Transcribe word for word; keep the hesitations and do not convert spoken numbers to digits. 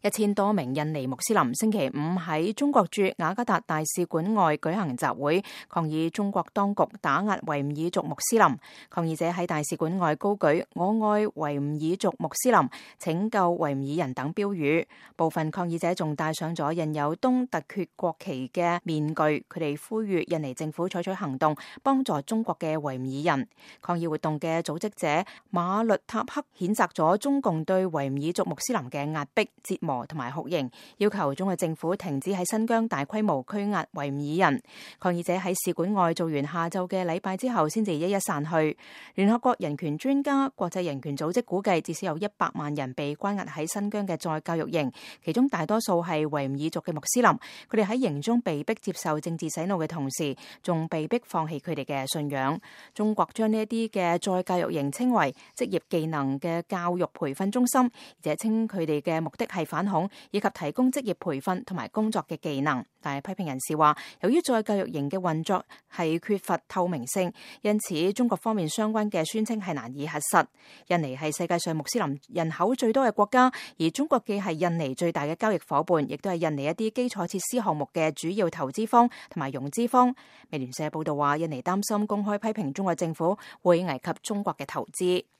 一千多名印尼穆斯林星期五喺中國駐雅加達大使館外舉行集會，抗議中國當局打壓維吾爾族穆斯林。抗議者喺大使館外高舉我愛維吾爾族穆斯林、拯救維吾爾人等標語。部分抗議者仲戴上咗印有東突厥國旗嘅面具，佢哋呼籲印尼政府採取行動，幫助中國嘅維吾爾人。抗議活動嘅組織者馬律塔克譴責咗中共對維吾爾族穆斯林嘅壓迫、折磨同埋酷刑，要求中國政府停止喺新疆大規模拘押維吾爾人。抗議者喺使館外做完下晝嘅禮拜之後，先至一一散去。聯合國人權專家、國際人權組織估計，至少有一百萬人被關押喺新疆嘅再教育營，其中大多數係維吾爾族嘅穆斯林。佢哋喺營中被逼接受政治洗腦嘅同時，仲被逼放棄佢哋嘅信仰。中國將呢一啲嘅再教育營稱為職業技能嘅教育培訓中心，而且稱佢哋嘅目的係反恐以及提供職業培訓同埋工作嘅技能。但係批評人士話，由於再教育營嘅運作係缺乏透明性，因此中國方面相關嘅宣稱係難以核實。印尼係世界上穆斯林人口最多嘅國家，而中國既係印尼最大嘅交易夥伴，亦都係印尼一啲基礎設施項目嘅主要投資方同埋融資方。美聯社報道話，印尼擔心公開批評中國政府會危及中國嘅投資。